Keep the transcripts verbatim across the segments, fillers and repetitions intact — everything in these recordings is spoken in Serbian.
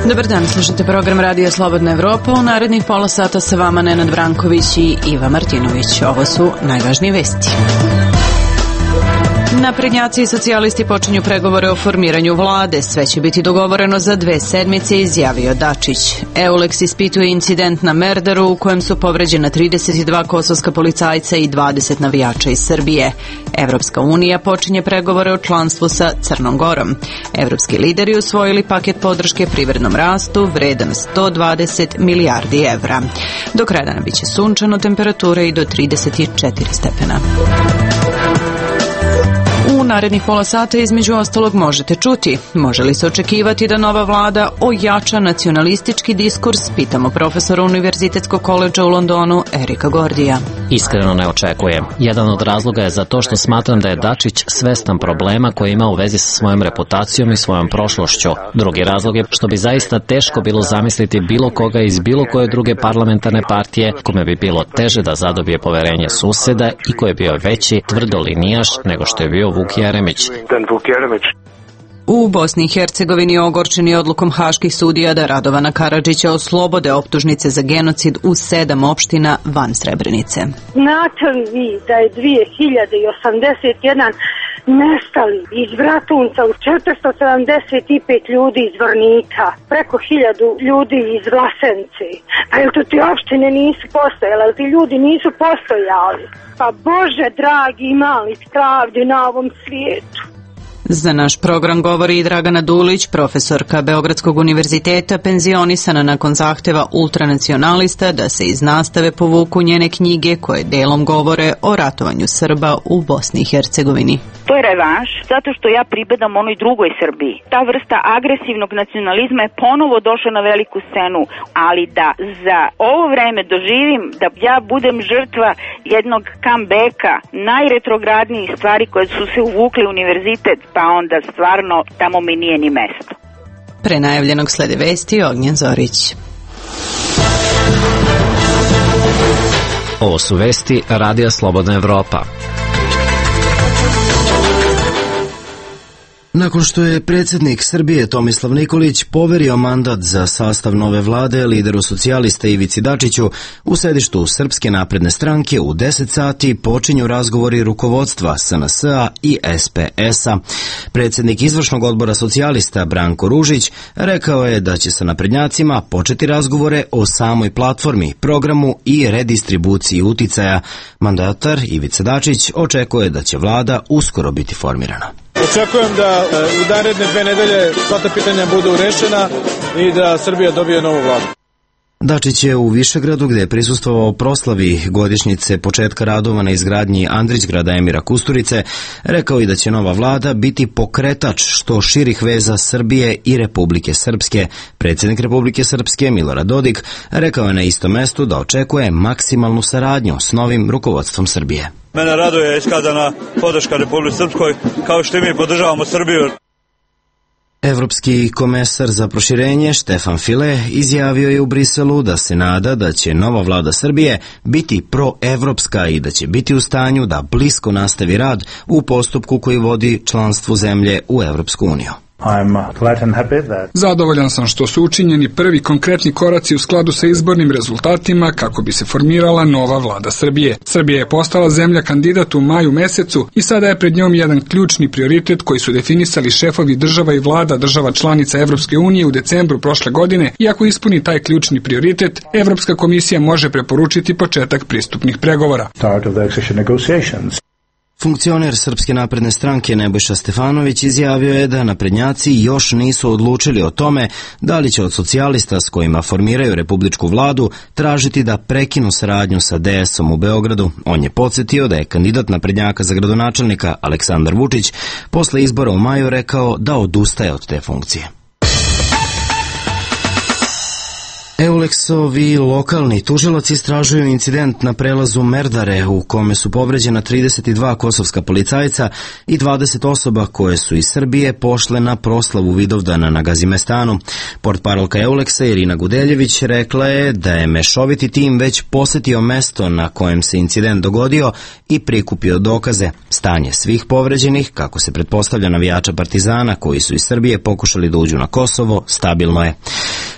Dobar dan, slušate program Radija Slobodna Evropa. U narednih pola sata sa vama Nenad Branković i Iva Martinović. Ovo su najvažnije vesti. Naprednjaci i socijalisti počinju pregovore o formiranju vlade. Sve će biti dogovoreno za dve sedmice, izjavio Dačić. Eulex ispituje incident na Merdaru u kojem su povređena trideset dva kosovska policajca i dvadeset navijača iz Srbije. Evropska unija počinje pregovore o članstvu sa Crnom Gorom. Evropski lideri usvojili paket podrške privrednom rastu vredan sto dvadeset milijardi evra. Do kraja dana biće sunčano, temperature i do trideset četiri stepena. U narednih pola sata između ostalog možete čuti. Može li se očekivati da nova vlada ojača nacionalistički diskurs? Pitamo profesora Univerzitetskog koledža u Londonu Erika Gordija. Iskreno ne očekujem. Jedan od razloga je zato što smatram da je Dačić svestan problema koje ima u vezi sa svojom reputacijom i svojom prošlošću. Drugi razlog je što bi zaista teško bilo zamisliti bilo koga iz bilo koje druge parlamentarne partije kome bi bilo teže da zadobije poverenje suseda i koji je bio veći tvrdolinijaš nego što je bio Vuk Jeremić. U Bosni i Hercegovini ogorčeni odlukom haških sudija da Radovana Karadžića oslobode optužnice za genocid u sedam opština van Srebrenice. Znate li vi da je dve hiljade osamdeset jedan nestali iz Bratunca, u četiristo sedamdeset pet ljudi iz Vrnika, preko hiljadu ljudi iz Vlasenice? Pa jel to ti opštine nisu postojale, jel ti ljudi nisu postojali? Pa Bože dragi, ima li pravde na ovom svijetu? Za naš program govori i Dragana Dulić, profesorka Beogradskog univerziteta, penzionisana nakon zahteva ultranacionalista da se iz nastave povuku njene knjige koje delom govore o ratovanju Srba u Bosni i Hercegovini. To je revanš, zato što ja pripadam onoj drugoj Srbiji. Ta vrsta agresivnog nacionalizma je ponovo došla na veliku scenu, ali da za ovo vreme doživim da ja budem žrtva jednog comebacka, najretrogradnijih stvari koje su se uvukle u univerzitet, pa onda stvarno tamo mi nije ni mesto. Pre najavljenog slede vesti Ognjen Zorić. Ovo su vesti Radija Slobodna Evropa. Nakon što je predsjednik Srbije Tomislav Nikolić poverio mandat za sastav nove vlade lideru socijalista Ivici Dačiću, u sedištu Srpske napredne stranke u deset sati počinju razgovori rukovodstva S N S-a i S P S-a. Predsjednik izvršnog odbora socijalista Branko Ružić rekao je da će sa naprednjacima početi razgovore o samoj platformi, programu i redistribuciji uticaja. Mandatar Ivica Dačić očekuje da će vlada uskoro biti formirana. Očekujem da u naredne dve nedelje sva ta pitanja budu rešena i da Srbija dobije novu vladu. Dačić je u Višegradu, gde je prisustvovao proslavi godišnjice početka radova na izgradnji Andrićgrada Emira Kusturice, rekao i da će nova vlada biti pokretač što širih veza Srbije i Republike Srpske. Predsjednik Republike Srpske Milorad Dodik rekao je na istom mestu da očekuje maksimalnu saradnju s novim rukovodstvom Srbije. Mene raduje iskazana podrška Republike Srpskoj, kao što i mi podržavamo Srbiju. Evropski komesar za proširenje Štefan File izjavio je u Briselu da se nada da će nova vlada Srbije biti proevropska i da će biti u stanju da blisko nastavi rad u postupku koji vodi članstvu zemlje u Evropsku uniju. Zadovoljan sam što su učinjeni prvi konkretni koraci u skladu sa izbornim rezultatima kako bi se formirala nova vlada Srbije. Srbija je postala zemlja kandidat u maju mesecu i sada je pred njom jedan ključni prioritet koji su definisali šefovi država i vlada država članica Evropske unije u decembru prošle godine i ako ispuni taj ključni prioritet, Evropska komisija može preporučiti početak pristupnih pregovora. Funkcioner Srpske napredne stranke Nebojša Stefanović izjavio je da naprednjaci još nisu odlučili o tome da li će od socijalista s kojima formiraju republičku vladu tražiti da prekinu saradnju sa D S-om u Beogradu. On je podsjetio da je kandidat naprednjaka za gradonačelnika Aleksandar Vučić posle izbora u maju rekao da odustaje od te funkcije. Euleksovi lokalni tužilac istražuju incident na prelazu Merdare u kome su povređena trideset dva kosovska policajca i dvadeset osoba koje su iz Srbije pošle na proslavu Vidovdana na Gazimestanu. Portparolka Euleksa Irina Gudeljević rekla je da je mešoviti tim već posetio mesto na kojem se incident dogodio i prikupio dokaze. Stanje svih povređenih, kako se pretpostavlja navijača Partizana koji su iz Srbije pokušali da uđu na Kosovo, stabilno je.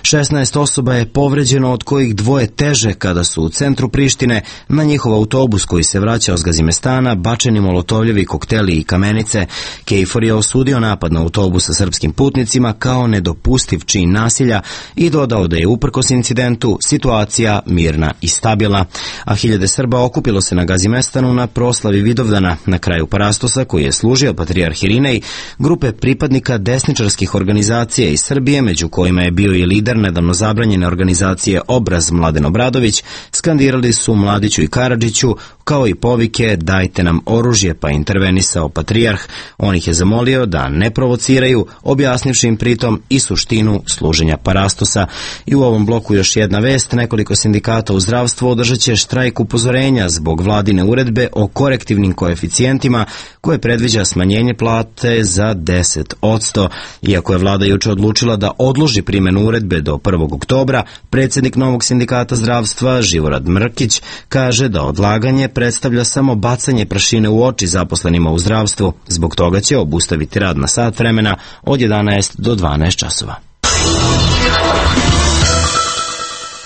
šesnaest osoba je povređeno, od kojih dvoje teže kada su u centru Prištine na njihov autobus koji se vraćao s Gazimestana bačeni molotovljevi, kokteli i kamenice. Kejfor je osudio napad na autobus sa srpskim putnicima kao nedopustiv čin nasilja i dodao da je uprkos incidentu situacija mirna i stabilna. A hiljade Srba okupilo se na Gazimestanu na proslavi Vidovdana. Na kraju parastosa koji je služio patrijarh Irinej, grupe pripadnika desničarskih organizacija iz Srbije, među kojima je bio i lider nedavno zabranjene organizacije Obraz Mladen Obradović, skandirali su Mladiću i Karadžiću, kao i povike "Dajte nam oružje", pa intervenisao patrijarh. On ih je zamolio da ne provociraju, objasnivši im pritom i suštinu služenja parastosa. I u ovom bloku još jedna vest: nekoliko sindikata u zdravstvu održat će štrajk upozorenja zbog vladine uredbe o korektivnim koeficijentima koje predviđa smanjenje plate za deset posto. Iako je vlada juče odlučila da odloži primjenu uredbe do prvog oktobra, predsjednik novog sindikata zdravstva Živorad Mrkić kaže da odlaganje predstavlja samo bacanje prašine u oči zaposlenima u zdravstvu. Zbog toga će obustaviti rad na sat vremena od jedanaest do dvanaest časova.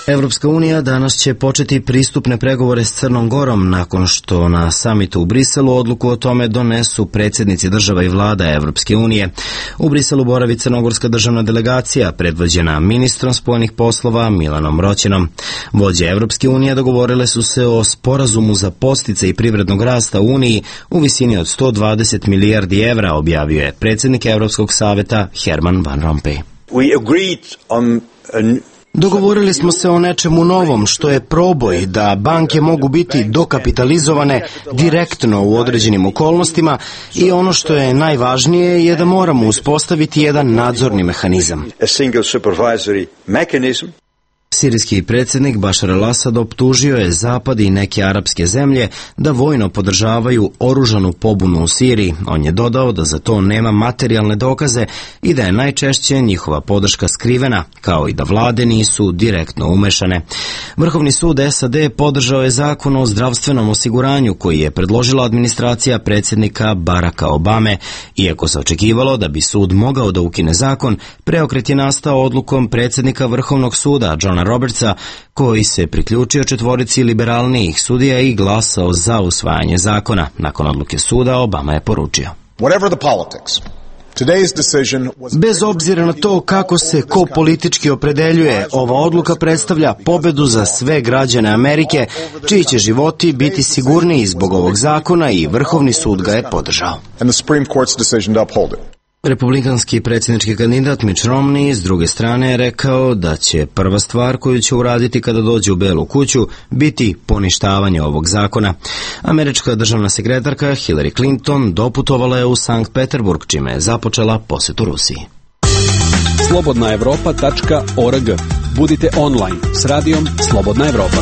Evropska unija danas će početi pristupne pregovore s Crnom Gorom nakon što na samitu u Briselu odluku o tome donesu predsjednici država i vlada Evropske unije. U Briselu boravi crnogorska državna delegacija predvođena ministrom spoljnih poslova Milanom Roćenom. Vođe Evropske unije dogovorile su se o sporazumu za podsticaj i privrednog rasta u Uniji u visini od sto dvadeset milijardi evra, objavio je predsjednik Evropskog saveta Herman Van Rompuy. We agreed on a Dogovorili smo se o nečemu novom, što je proboj da banke mogu biti dokapitalizovane direktno u određenim okolnostima i ono što je najvažnije je da moramo uspostaviti jedan nadzorni mehanizam. a single supervisory mechanism. Sirijski predsjednik Bašar al-Asad optužio je Zapad i neke arapske zemlje da vojno podržavaju oružanu pobunu u Siriji. On je dodao da za to nema materijalne dokaze i da je najčešće njihova podrška skrivena, kao i da vlade nisu direktno umešane. Vrhovni sud S A D podržao je zakon o zdravstvenom osiguranju koji je predložila administracija predsjednika Baracka Obame. Iako se očekivalo da bi sud mogao da ukine zakon, preokret je nastao odlukom predsjednika Vrhovnog suda Johna Robertsa, koji se priključio četvorici liberalnijih sudija i glasao za usvajanje zakona. Nakon odluke suda, Obama je poručio: bez obzira na to kako se ko politički opredeljuje, ova odluka predstavlja pobedu za sve građane Amerike, čiji će životi biti sigurniji zbog ovog zakona, i Vrhovni sud ga je podržao. Republikanski predsjednički kandidat Mitch Romney s druge strane je rekao da će prva stvar koju će uraditi kada dođe u Belu kuću biti poništavanje ovog zakona. Američka državna sekretarka Hillary Clinton doputovala je u Sankt Peterburg, čime je započela posetu Rusiji. slobodna evropa tačka org. Budite online s radijom Slobodna Evropa.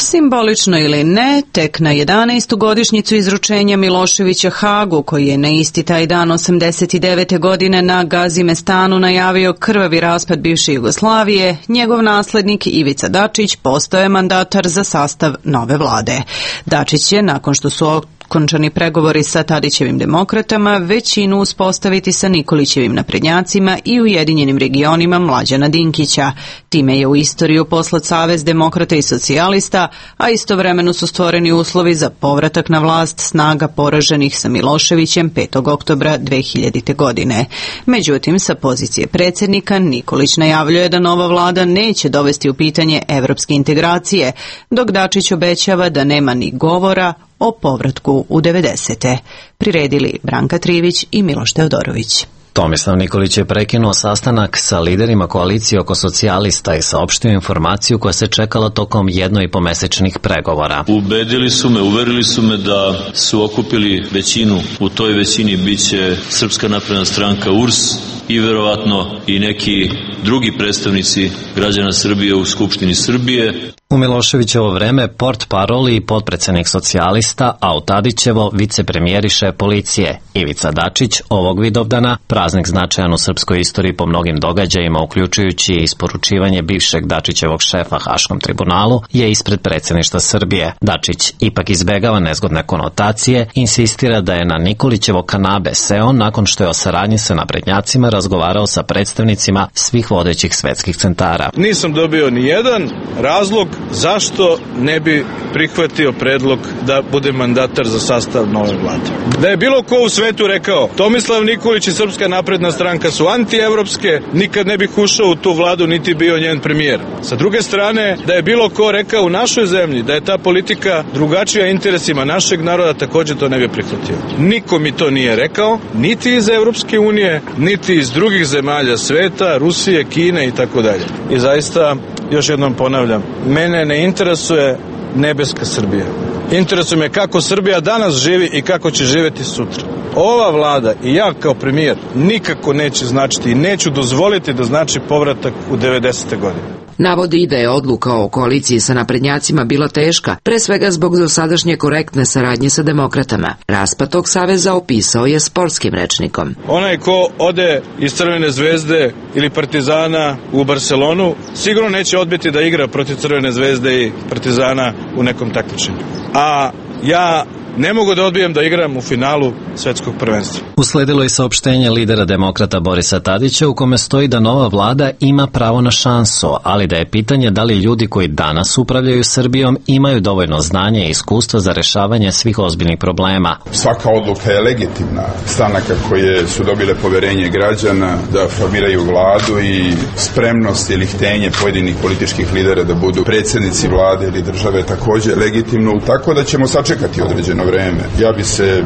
Simbolično ili ne, tek na jedanaestu godišnjicu izručenja Miloševića Hagu, koji je na isti taj dan osamdeset devete godine na Gazimestanu najavio krvavi raspad bivše Jugoslavije, njegov naslednik Ivica Dačić postao je mandatar za sastav nove vlade. Dačić je, nakon što su okončani pregovori sa Tadićevim demokratama, većinu uspostaviti sa Nikolićevim naprednjacima i Ujedinjenim regionima Mlađana Dinkića. Time je u istoriju poslat Savez demokrata i socijalista, a istovremeno su stvoreni uslovi za povratak na vlast snaga poraženih sa Miloševićem petog oktobra dve hiljadite. godine. Međutim, sa pozicije predsjednika Nikolić najavljuje da nova vlada neće dovesti u pitanje evropske integracije, dok Dačić obećava da nema ni govora o povratku u devedesete. Priredili Branka Trivić i Miloš Teodorović. Tomislav Nikolić je prekinuo sastanak sa liderima koalicije oko socijalista i saopštio informaciju koja se čekala tokom jedno i po mesečnih pregovora. Ubedili su me, uverili su me da su okupili većinu. U toj većini biće Srpska napredna stranka U R S i verovatno i neki drugi predstavnici građana Srbije u Skupštini Srbije. U Miloševićevo vreme port paroli i potpredsednik socijalista, a u Tadićevo vicepremijeri šef policije. Ivica Dačić ovog Vidovdana, praznik značajan u srpskoj istoriji po mnogim događajima, uključujući isporučivanje bivšeg Dačićevog šefa Haškom tribunalu, je ispred predsjedništva Srbije. Dačić ipak izbegava nezgodne konotacije, insistira da je na Nikolićevo kanabe seo nakon što je o saradnji sa naprednjacima razgovarao sa predstavnicima svih vodećih svetskih centara. Nisam dobio ni jedan razlog zašto ne bi prihvatio predlog da bude mandatar za sastav nove vlade. Da je bilo ko u svetu rekao Tomislav Nikolić i Srpska napredna stranka su antievropske, nikad ne bih ušao u tu vladu niti bio njen premijer. Sa druge strane, da je bilo ko rekao u našoj zemlji da je ta politika drugačija interesima našeg naroda, također to ne bi prihvatio. Niko mi to nije rekao, niti iz Evropske unije, niti iz drugih zemalja sveta, Rusije, Kine i tako dalje. I zaista, još jednom ponavljam, mene ne interesuje nebeska Srbija. Interesuje me kako Srbija danas živi i kako će živjeti sutra. Ova vlada i ja kao premijer nikako neće značiti i neću dozvoliti da znači povratak u devedesete godine. Navodi da je odluka o koaliciji sa naprednjacima bila teška, pre svega zbog dosadašnje korektne saradnje sa demokratama. Raspad tog saveza opisao je sportskim rečnikom. Onaj ko ode iz Crvene zvezde ili Partizana u Barcelonu, sigurno neće odbiti da igra protiv Crvene zvezde i Partizana u nekom takmičenju. A ja ne mogu da odbijem da igram u finalu svetskog prvenstva. Usledilo je saopštenje lidera demokrata Borisa Tadića u kome stoji da nova vlada ima pravo na šansu, ali da je pitanje da li ljudi koji danas upravljaju Srbijom imaju dovoljno znanja i iskustva za rešavanje svih ozbiljnih problema. Svaka odluka je legitimna. Stranaka koje su dobile poverenje građana da formiraju vladu i spremnost ili htenje pojedinih političkih lidera da budu predsjednici vlade ili države također legitimno, tako da ćemo sačekati određeno vreme. Ja bi se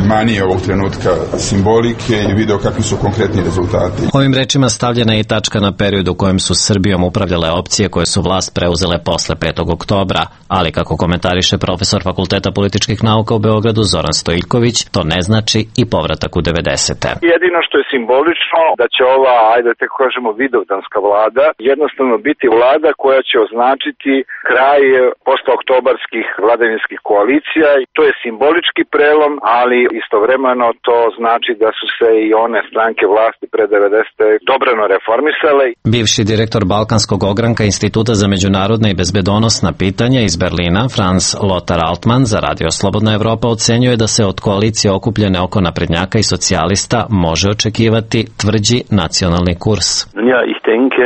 manio ovog trenutka simbolike i video kakvi su konkretni rezultati. Ovim rečima stavljena je i tačka na period u kojem su Srbijom upravljale opcije koje su vlast preuzele posle petog oktobra, ali kako komentariše profesor Fakulteta političkih nauka u Beogradu Zoran Stojiljković, to ne znači i povratak u devedesete. Jedino što je simbolično da će ova, ajde da tako kažemo, vidovdanska vlada jednostavno biti vlada koja će označiti kraj postooktobarskih vladavinskih koalicija i to je simbolički prelom, ali istovremeno to znači da su se i one stranke vlasti pre devedesete dobrano reformisale. Bivši direktor Balkanskog ogranka Instituta za međunarodna i bezbedonosna pitanja iz Berlina, Franz Lothar Altmann, za Radio Slobodna Evropa ocenjuje da se od koalicije okupljene oko naprednjaka i socijalista može očekivati tvrđi nacionalni kurs. Ja, ich denke,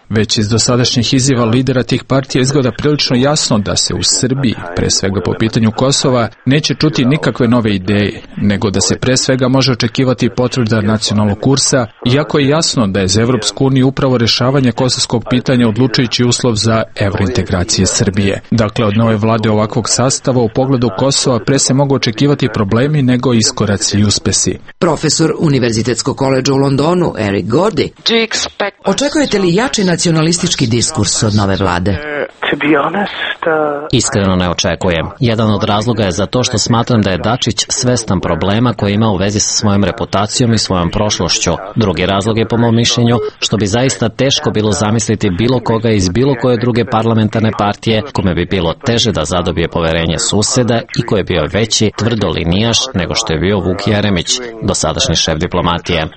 već iz dosadašnjih izjava lidera tih partija izgleda prilično jasno da se u Srbiji, pre svega po pitanju Kosova, neće čuti nikakve nove ideje, nego da se pre svega može očekivati potvrda nacionalnog kursa, iako je jasno da je za Evropsku uniju upravo rešavanje kosovskog pitanja odlučujući uslov za evrointegracije Srbije. Dakle, od nove vlade ovakvog sastava u pogledu Kosova pre se mogu očekivati problemi nego iskoraci i uspesi. Profesor Univerzitetskog koledža u Londonu, Eric Gordy, očekujete li jači nacionalistički diskurs od nove vlade? Iskreno ne očekujem. Jedan od razloga je za to što smatram da je Dačić svestan problema koje ima u vezi sa svojom reputacijom i svojom prošlošću. Drugi razlog je po mom mišljenju što bi zaista teško bilo zamisliti bilo koga iz bilo koje druge parlamentarne partije kome bi bilo teže da zadobije poverenje suseda i koji je bio veći tvrdolinijaš nego što je bio Vuk Jeremić, dosadašnji šef diplomatije.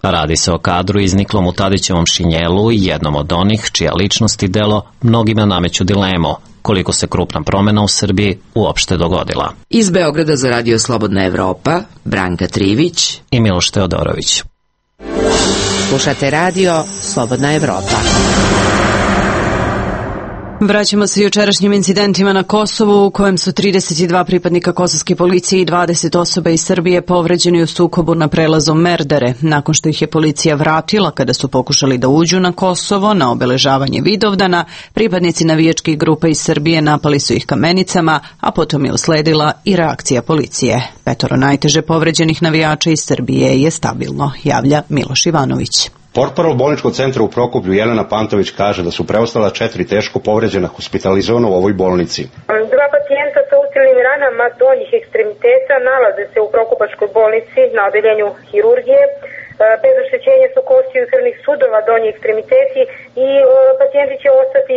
Radi se o kadru izniklom u Tadićevom šinjelu i jednom od onih čija ličnost i delo mnogima nameću dilemu koliko se krupna promena u Srbiji uopšte dogodila. Iz Beograda za Radio Slobodna Evropa, Branka Trivić i Miloš Teodorović. Slušate Radio Slobodna Evropa. Vraćamo se jučerašnjim incidentima na Kosovu u kojem su trideset dva pripadnika kosovske policije i dvadeset osoba iz Srbije povređeni u sukobu na prelazu Merdare, nakon što ih je policija vratila kada su pokušali da uđu na Kosovo na obeležavanje Vidovdana. Pripadnici navijačkih grupa iz Srbije napali su ih kamenicama, a potom je usledila i reakcija policije. Petoro najteže povređenih navijača iz Srbije je stabilno, javlja Miloš Ivanović. Portparol bolničkog centra u Prokuplju Jelena Pantović kaže da su preostala četiri teško povređena hospitalizovana u ovoj bolnici. Dva pacijenta sa ustrijelnim ranama donjih ekstremiteta nalaze se u Prokupačkoj bolnici na odeljenju hirurgije. Bez oštećenja su kostiju i krvnih sudova donji ekstremiteti i pacijenti će ostati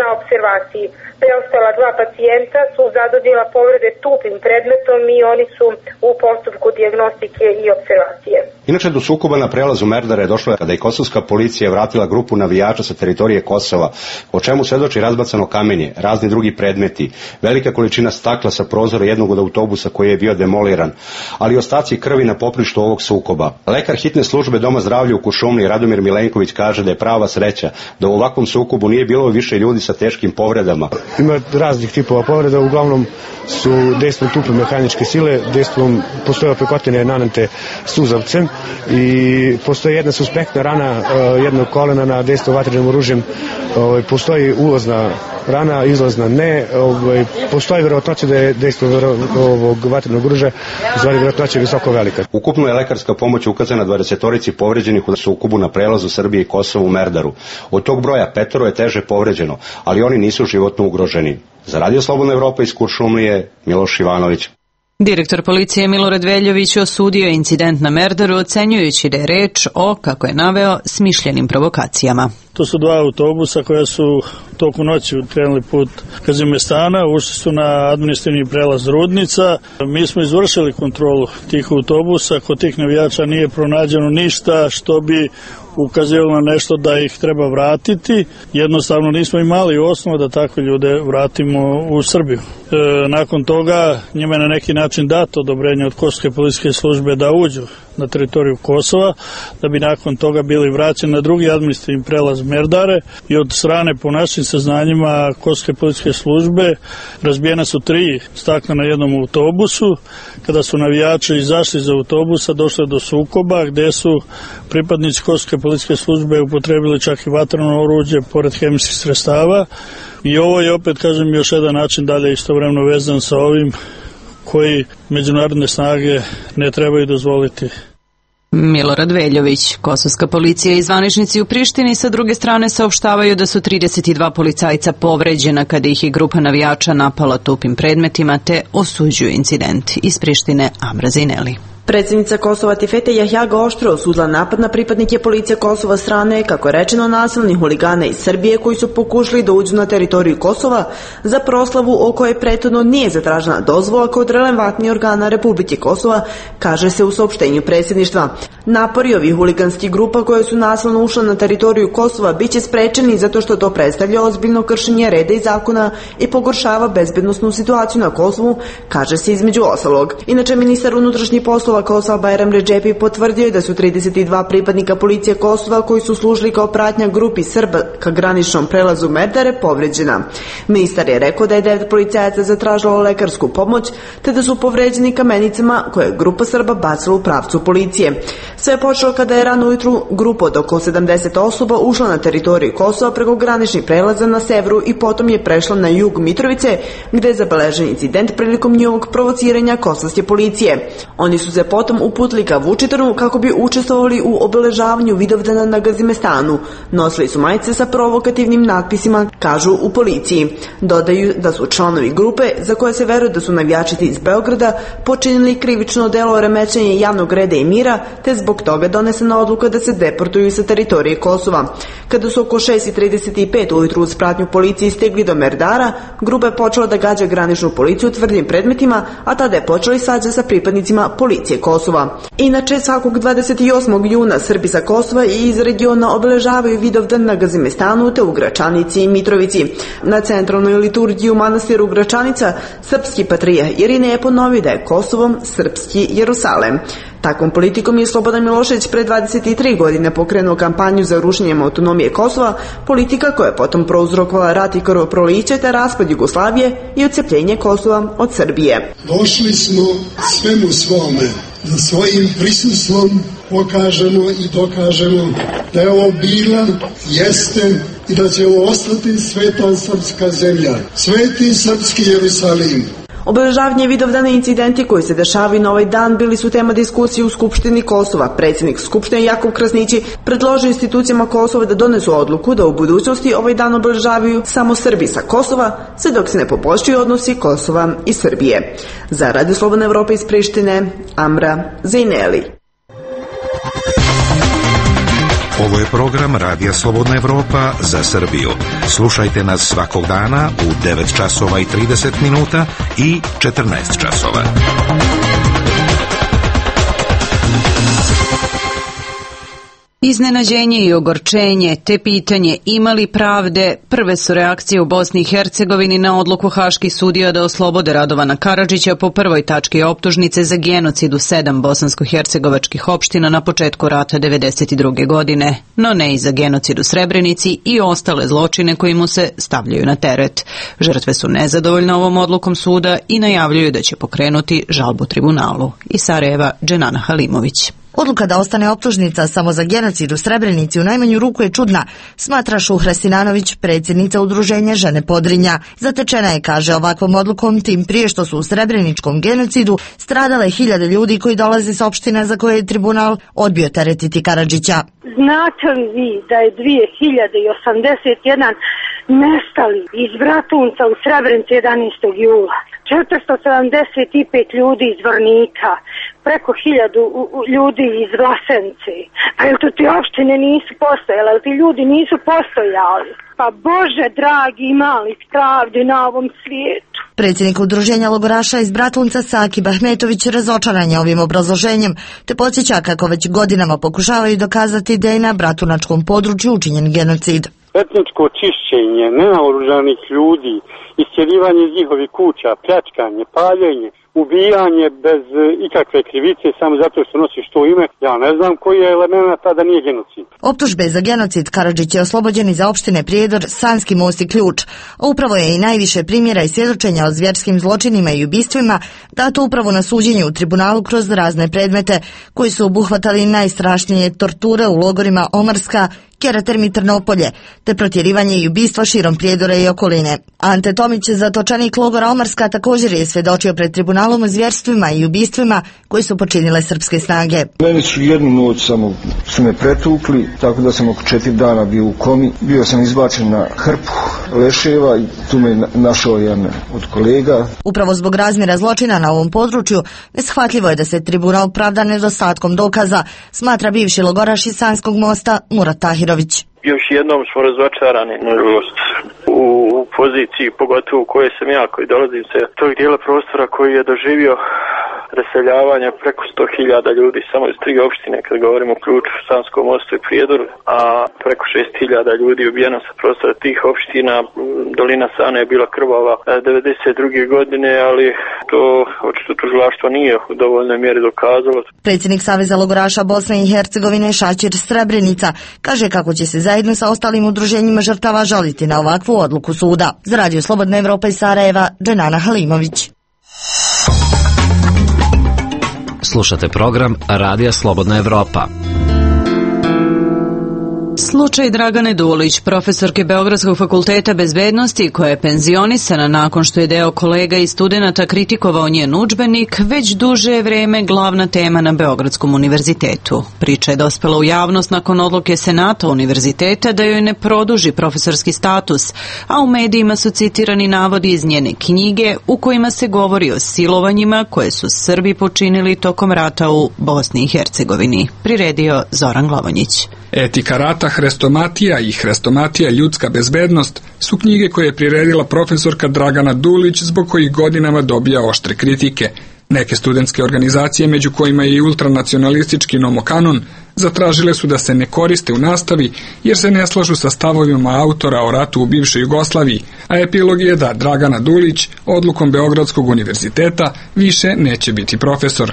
na observaciji. Preostala dva pacijenta su zadobila povrede tupim predmetom i oni su u postupku dijagnostike i observacije. Inače, do sukoba na prelazu Merdare je došlo kada je kosovska policija vratila grupu navijača sa teritorije Kosova, o čemu svedoči razbacano kamenje, razni drugi predmeti, velika količina stakla sa prozora jednog od autobusa koji je bio demoliran, ali i ostaci krvi na poprištu ovog sukoba. Lekar hitne službe Doma zdravlja u Kuršumliji Radomir Milenković kaže da je prava sreća da u ovakvom sukobu nije bilo više ljudi sa teškim povredama. Ima raznih tipova povreda, uglavnom su dejstvom tupe mehaničke sile, dejstvom postoje opekotine nanete suzavcem i postoji jedna suspektna rana jednog kolena na dejstvo vatrenim oružjem, postoji ulazna rana, izlazna ne, postoji verovatnoća da je dejstvo ovog vatrenog oružja, zvari verovatnoća visoko velika. Ukupno je lekarska pomoć ukazana dvadesetorici povređenih u sukobu na prelazu Srbije i Kosova u Merdaru. Od tog broja petoro je teže povređeno, ali oni nisu životno ugroženi. Za Radio Slobodna Evropa iz Kuršumlije, Miloš Ivanović. Direktor policije Milorad Veljović osudio incident na Merdaru, ocenjujući da je reč o, kako je naveo, smišljenim provokacijama. To su dva autobusa koja su toku noći krenuli put Kazimestana, ušli su na administrativni prelaz Rudnica. Mi smo izvršili kontrolu tih autobusa, kod tih navijača nije pronađeno ništa što bi ukazivalo na nešto da ih treba vratiti. Jednostavno nismo imali osnova da takve ljude vratimo u Srbiju. E, nakon toga njima je na neki način dato odobrenje od Kosovske policijske službe da uđu na teritoriju Kosova, da bi nakon toga bili vraćeni na drugi administrativni prelaz Merdare i od strane, po našim saznanjima Kosovske policijske službe, razbijena su tri stakla na jednom autobusu. Kada su navijači izašli iz autobusa, došlo je do sukoba gde su pripadnici Kosovske policijske službe upotrebili čak i vatreno oruđe pored hemijskih sredstava i ovo je opet, kažem, još jedan način dalje istovremeno vezan sa ovim koji međunarodne snage ne trebaju dozvoliti. Milorad Veljović. Kosovska policija i zvaničnici u Prištini sa druge strane saopštavaju da su trideset dva policajca povređena kada ih je grupa navijača napala tupim predmetima, te osuđuju incident. Iz Prištine Amra Zineli. Predsjednica Kosova Tifete Jahjaga oštro osudila napad na pripadnike policije Kosova strane, kako je rečeno, nasilnih huligana iz Srbije koji su pokušali da uđu na teritoriju Kosova za proslavu o kojoj prethodno nije zatražena dozvola kod relevantnih organa Republike Kosova, kaže se u saopštenju predsjedništva. Napori ovih huliganskih grupa koje su nasilno ušle na teritoriju Kosova biće sprečeni zato što to predstavlja ozbiljno kršenje reda i zakona i pogoršava bezbednosnu situaciju na Kosovu, kaže se između ostalog. Inače, ministar unutrašnjih poslova Kosova Bajram Redžepi potvrdio je da su trideset dva pripadnika policije Kosova koji su služili kao pratnja grupi Srba ka graničnom prelazu Merdare povređena. Ministar je rekao da je devet policajaca zatražilo lekarsku pomoć, te da su povređeni kamenicama koje je grupa Srba bacila u pravcu policije. Sve je počelo kada je rano ujutru grupa od oko sedamdeset osoba ušla na teritoriju Kosova preko graničnih prelaza na severu i potom je prešla na jug Mitrovice, gde je zabeležen incident prilikom njihovog provociranja kosovske policije. Oni su se potom uputili ka Vučitaru kako bi učestvovali u obeležavanju Vidovdana na Gazimestanu. Nosili su majice sa provokativnim natpisima, kažu u policiji. Dodaju da su članovi grupe, za koje se veruje da su navijači iz Beograda, počinili krivično delo remećenja javnog reda i mira, te zbog toga donesena odluka da se deportuju sa teritorije Kosova. Kada su oko šest i trideset pet ujutru uz pratnju policije stigli do Merdara, grupa je počela da gađa graničnu policiju tvrdim predmetima, a tada je počela i svađa sa pripadnicima policije Kosova. Inače, svakog dvadeset osmog juna Srbi sa Kosova i iz regiona obeležavaju Vidovdan na Gazimestanu, te u Gračanici i Mitrovici. Mitrovici. Na centralnoj liturgiji u manastiru Gračanica srpski patrija Irinej ponovio da je Kosovom srpski Jerusalem. Takvom politikom je Slobodan Milošević pre dvadeset tri godine pokrenuo kampanju za rušenjem autonomije Kosova, politika koja je potom prouzrokovala rat i krvoproliće te raspad Jugoslavije i odcepljenje Kosova od Srbije. Došli smo svemu svome da svojim prisustvom pokažemo i dokažemo da je ovo bila, jeste i da će ovo ostati sveta srpska zemlja, sveti srpski Jerusalim. Obeležavanje Vidovdana i incidenti koji se dešavaju na ovaj dan bili su tema diskusije u Skupštini Kosova. Predsjednik Skupštine Jakov Krasnići predložio institucijama Kosova da donesu odluku da u budućnosti ovaj dan obeležavaju samo Srbi sa Kosova, sve dok se ne poboljšaju odnosi Kosova i Srbije. Za Radio Slobodna Evropa iz Prištine, Amra Zejneli. Ovo je program Radija Slobodna Evropa za Srbiju. Slušajte nas svakog dana u devet časova i trideset minuta i četrnaest časova. Iznenađenje i ogorčenje, te pitanje ima li pravde, prve su reakcije u Bosni i Hercegovini na odluku haških sudija da oslobode Radovana Karadžića po prvoj tački optužnice za genocid u sedam bosansko-hercegovačkih opština na početku rata devedeset druge godine, no ne i za genocid u Srebrenici i ostale zločine koji mu se stavljaju na teret. Žrtve su nezadovoljne ovom odlukom suda i najavljuju da će pokrenuti žalbu tribunalu. Iz Sarajeva, Dženana Halimović. Odluka da ostane optužnica samo za genocid u Srebrenici u najmanju ruku je čudna, smatra Šuhra Sinanović, predsjednica udruženja Žene Podrinja. Zatečena je, kaže, ovakvom odlukom tim prije što su u srebreničkom genocidu stradale hiljade ljudi koji dolaze s opština za koje je tribunal odbio teretiti Karadžića. Znate li vi da je dve hiljade osamdeset jedan nestali iz Bratunca u Srebrenici jedanaestog jula? četiristo sedamdeset pet ljudi iz Vornika, preko hiljadu ljudi iz Vlasence. Pa jel to ti opštine nisu postojale, jel ti ljudi nisu postojali? Pa Bože dragi, ima li pravde na ovom svijetu? Predsjednik udruženja logoraša iz Bratunca Saki Bahmetović razočaran je ovim obrazloženjem, te podsjeća kako već godinama pokušavaju dokazati da je na bratunačkom području učinjen genocid. Etničko čišćenje nenaoružanih ljudi, istjerivanje iz njihovih kuća, pljačkanje, paljenje, ubijanje bez ikakve krivice samo zato što nosiš to ime, ja ne znam koji je element tada nije genocid. Optužbe za genocid Karadžić je oslobođen iz opštine Prijedor, Sanski Most i Ključ, a upravo je i najviše primjera i svjedočenja o zvjerskim zločinima i ubistvima dato upravo na suđenju u tribunalu kroz razne predmete koji su obuhvatali najstrašnije torture u logorima Omarska, Keraterm i Trnopolje, te protjerivanje i ubistva širom Prijedora i okoline. Ante Tomić, zatočenik logora Omarska, također je svjedočio pred tribunalom o zvjerstvima i ubistvima koji su počinile srpske snage. Meni su jednu noć samo su me pretukli, tako da sam oko četiri dana bio u komi. Bio sam izbačen na hrpu leševa i tu me našao jedan od kolega. Upravo zbog razmjera zločina na ovom području, neshvatljivo je da se tribunal pravda nedostatkom dokaza, smatra bivši logoraš iz Sanskog Mosta Murat Tahir. Još jednom smo razočarani, nažalost, u, u poziciji, pogotovo u kojoj sam ja, koji dolazim se tog dijela prostora koji je doživio preseljavanja preko sto hiljada ljudi samo iz tri opštine, kad govorimo o Ključu, Sanskom Mostu i Prijedoru, a preko šest hiljada ljudi ubijeno sa prostora tih opština. Dolina Sane je bila krvava devedeset druge godine, ali to očito tužilaštvo nije u dovoljnoj mjeri dokazalo. Predsjednik Saveza logoraša Bosne i Hercegovine Šačir Srebrenica kaže kako će se zajedno sa ostalim udruženjima žrtava žaliti na ovakvu odluku suda. Za Radio Slobodna Evropa iz Sarajeva, Dženana Halimović. Slušate program Radija Slobodna Evropa. Slučaj Dragane Dulić, profesorke Beogradskog fakulteta bezbednosti, koja je penzionisana nakon što je deo kolega i studenata kritikovao njen udžbenik, već duže vreme glavna tema na Beogradskom univerzitetu. Priča je dospela u javnost nakon odluke Senata univerziteta da joj ne produži profesorski status, a u medijima su citirani navodi iz njene knjige u kojima se govori o silovanjima koje su Srbi počinili tokom rata u Bosni i Hercegovini. Priredio Zoran Glavonjić. Etika rata, hrestomatija i hrestomatija ljudska bezbednost su knjige koje je priredila profesorka Dragana Dulić, zbog kojih godinama dobija oštre kritike. Neke studentske organizacije, među kojima je i ultranacionalistički Nomokanon, zatražile su da se ne koriste u nastavi jer se ne slažu sa stavovima autora o ratu u bivšoj Jugoslaviji, a epilog je da Dragana Dulić odlukom Beogradskog univerziteta više neće biti profesor.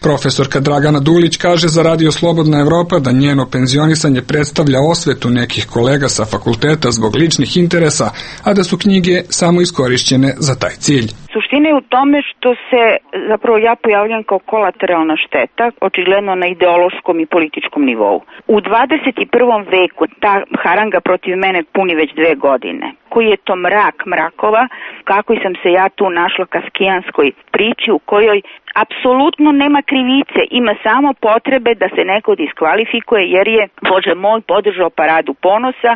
Profesorka Dragana Dulić kaže za Radio Slobodna Evropa da njeno penzionisanje predstavlja osvetu nekih kolega sa fakulteta zbog ličnih interesa, a da su knjige samo iskorišćene za taj cilj. Suština je u tome što se zapravo ja pojavljam kao kolateralna šteta, očigledno na ideološkom i političkom nivou. U dvadeset prvom veku ta haranga protiv mene puni već dve godine. Koji je to mrak mrakova, kako sam se ja tu našla kaskijanskoj priči u kojoj apsolutno nema krivice, ima samo potrebe da se neko diskvalifikuje jer je, Bože moj, podržao paradu ponosa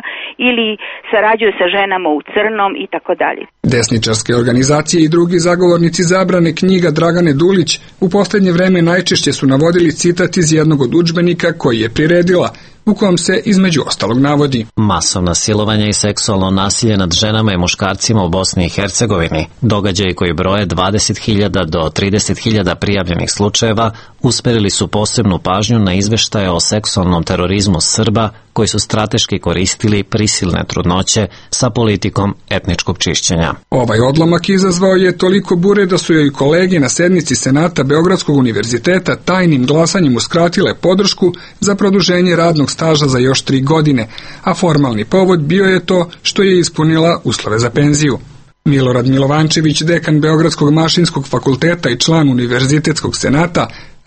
ili sarađuje sa ženama u crnom i tako dalje. Desničarske organizacije i drugi zagovornici zabrane knjiga Dragane Dulić u poslednje vreme najčešće su navodili citat iz jednog od udžbenika koji je priredila, u kom se između ostalog navodi: masovna silovanja i seksualno nasilje nad ženama i muškarcima u Bosni i Hercegovini, događaji koji broje dvadeset hiljada do trideset hiljada prijavljenih slučajeva, usmerili su posebnu pažnju na izveštaje o seksualnom terorizmu Srba koji su strateški koristili prisilne trudnoće sa politikom etničkog čišćenja. Ovaj odlomak izazvao je toliko bure da su joj kolege na sednici Senata Beogradskog univerziteta tajnim glasanjem uskratile podršku za produženje radnog staža za još tri godine, a formalni povod bio je to što je ispunila uslove za penziju. Milorad Milovančević, dekan Beogradskog mašinskog fakulteta i član Univerzitetskog senata,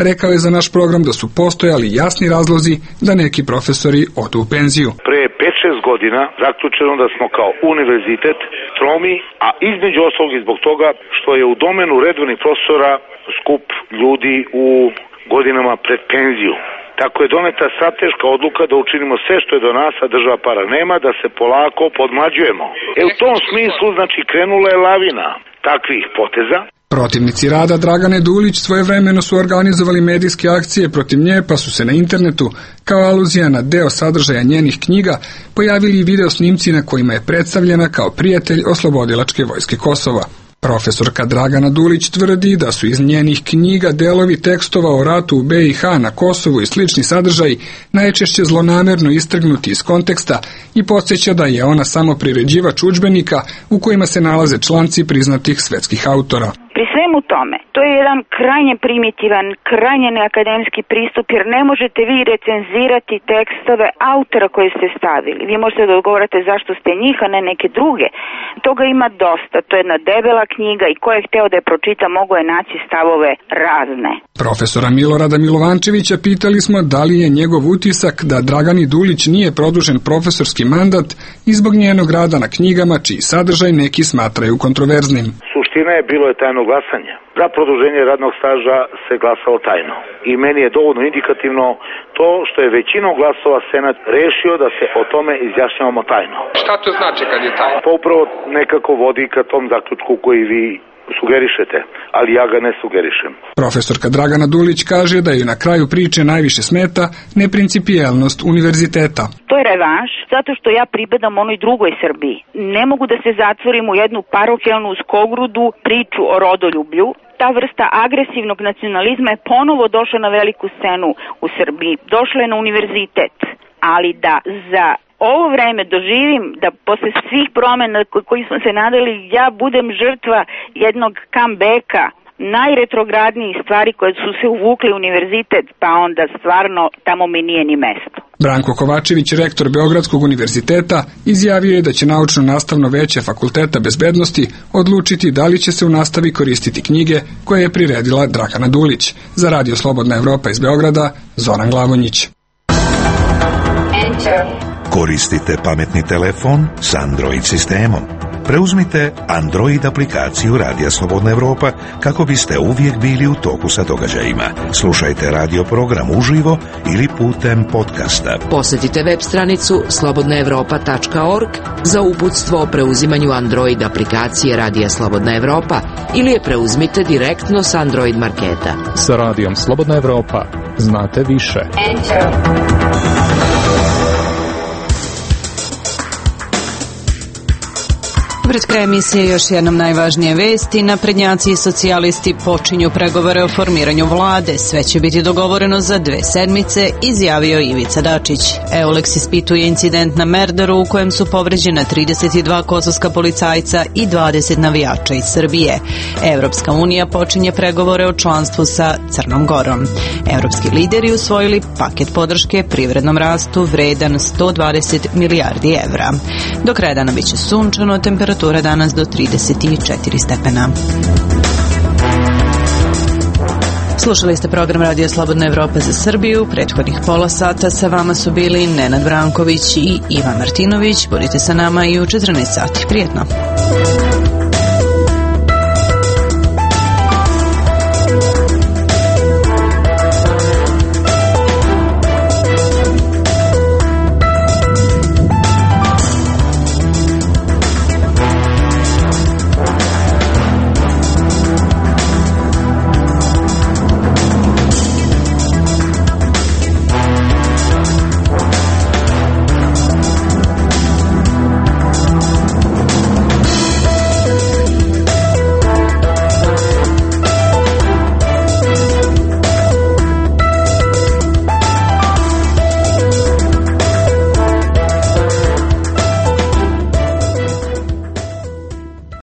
rekao je za naš program da su postojali jasni razlozi da neki profesori odu u penziju. Pre pet šest godina zaključeno da smo kao univerzitet tromi, a između ostalog i zbog toga što je u domenu redovnih profesora skup ljudi u godinama pred penziju. Tako je doneta strateška odluka da učinimo sve što je do nas, a država para nema, da se polako podmlađujemo. E u tom smislu, znači, krenula je lavina takvih poteza. Protivnici rada Dragane Dulić svojevremeno su organizovali medijske akcije protiv nje, pa su se na internetu, kao aluzija na deo sadržaja njenih knjiga, pojavili i video snimci na kojima je predstavljena kao prijatelj Oslobodilačke vojske Kosova. Profesorka Dragana Dulić tvrdi da su iz njenih knjiga delovi tekstova o ratu u be i ha na Kosovu i slični sadržaji najčešće zlonamerno istrgnuti iz konteksta i podsjeća da je ona samo priređivač udžbenika u kojima se nalaze članci priznatih svetskih autora. Pri svemu tome, to je jedan krajnje primitivan, krajnje neakademski pristup, jer ne možete vi recenzirati tekstove autora koje ste stavili. Vi možete da odgovorate zašto ste njih, a ne neke druge. Toga ima dosta, to je jedna debela knjiga i ko je hteo da je pročita mogo je naći stavove razne. Profesora Milorada Milovančevića pitali smo da li je njegov utisak da Dragani Dulić nije produžen profesorski mandat i zbog njenog rada na knjigama čiji sadržaj neki smatraju kontroverznim. Suština je bilo je tajno glasanje. Za produženje radnog staža se glasalo tajno. I meni je dovoljno indikativno to što je većinom glasova Senat rešio da se o tome izjašnjavamo tajno. Šta to znači kad je tajno? Pa upravo nekako vodi ka tom zaključku koji vi sugerišete, ali ja ga ne sugerišem. Profesorka Dragana Dulić kaže da je na kraju priče najviše smeta neprincipijelnost univerziteta. To je revanš, zato što ja pripadam onoj drugoj Srbiji. Ne mogu da se zatvorim u jednu parohijalnu skogrudu priču o rodoljublju. Ta vrsta agresivnog nacionalizma je ponovo došla na veliku scenu u Srbiji. Došla je na univerzitet, ali da za ovo vreme doživim da posle svih promena koji smo se nadali ja budem žrtva jednog comebacka, najretrogradnijih stvari koje su se uvukli u univerzitet, pa onda stvarno tamo mi nije ni mesto. Branko Kovačević, rektor Beogradskog univerziteta, izjavio je da će naučno-nastavno veće Fakulteta bezbednosti odlučiti da li će se u nastavi koristiti knjige koje je priredila Dragana Dulić. Za Radio Slobodna Evropa iz Beograda, Zoran Glavonjić. Koristite pametni telefon s Android sistemom. Preuzmite Android aplikaciju Radija Slobodna Evropa kako biste uvijek bili u toku sa događajima. Slušajte radio program uživo ili putem podcasta. Posjetite web stranicu slobodna evropa tačka org za uputstvo o preuzimanju Android aplikacije Radija Slobodna Evropa ili je preuzmite direktno s Android marketa. Sa Radijom Slobodna Evropa znate više. Enter. Pred kraj emisije još jednom najvažnije vesti. Naprednjaci i socijalisti počinju pregovore o formiranju vlade. Sve će biti dogovoreno za dve sedmice, izjavio Ivica Dačić. Eulex ispituje incident na Merdaru u kojem su povređena trideset dva kosovska policajca i dvadeset navijača iz Srbije. Evropska unija počinje pregovore o članstvu sa Crnom Gorom. Evropski lideri usvojili paket podrške privrednom rastu vredan sto dvadeset milijardi evra. Do kraja dana biće sunčano, temperatura danas do trideset četiri stepena. Slušali ste program Radio Slobodna Evropa za Srbiju. Prethodnih pola sata sa vama su bili Nenad Branković i Ivan Martinović. Budite sa nama i u četrnaest sati. Prijetno.